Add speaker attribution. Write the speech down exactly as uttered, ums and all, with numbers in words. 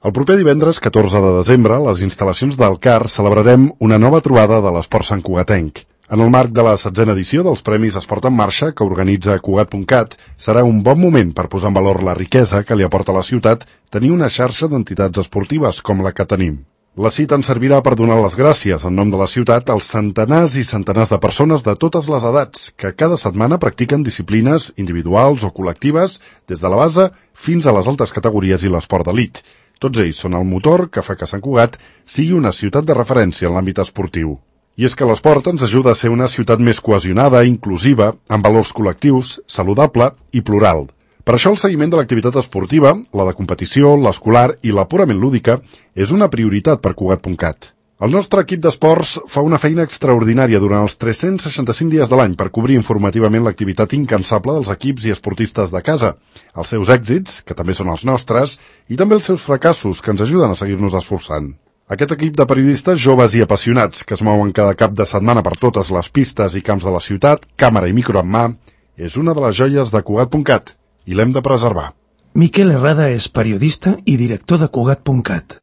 Speaker 1: El proper divendres catorze de desembre, a les instal·lacions del C A R celebrarem una nova trobada de l'esport santcugatenc. En el marc de la setzena edició dels Premis Esport en Marxa, que organitza Cugat punt cat, serà un bon moment per posar en valor la riquesa que li aporta a la ciutat tenir una xarxa d'entitats esportives com la que tenim. La cita ens servirà per donar les gràcies en nom de la ciutat als centenars i centenars de persones de totes les edats que cada setmana practiquen disciplines individuals o col·lectives des de la base fins a les altes categories i l'esport d'elit. Tots ells són el motor que fa que Sant Cugat sigui una ciutat de referència en l'àmbit esportiu. I és que l'esport ens ajuda a ser una ciutat més cohesionada, inclusiva, amb valors col·lectius, saludable i plural. Per això el seguiment de l'activitat esportiva, la de competició, l'escolar i la purament lúdica, és una prioritat per Cugat punt cat. El nostre equip d'esports fa una feina extraordinària durant els tres-cents seixanta-cinc dies de l'any per cobrir informativament l'activitat incansable dels equips i esportistes de casa, els seus èxits, que també són els nostres, i també els seus fracassos, que ens ajuden a seguir-nos esforçant. Aquest equip de periodistes joves i apassionats que es mouen cada cap de setmana per totes les pistes i camps de la ciutat, càmera i micro en mà, és una de les joies de Cugat punt cat i l'hem de preservar.
Speaker 2: Miquel Herrada és periodista i director de Cugat punt cat.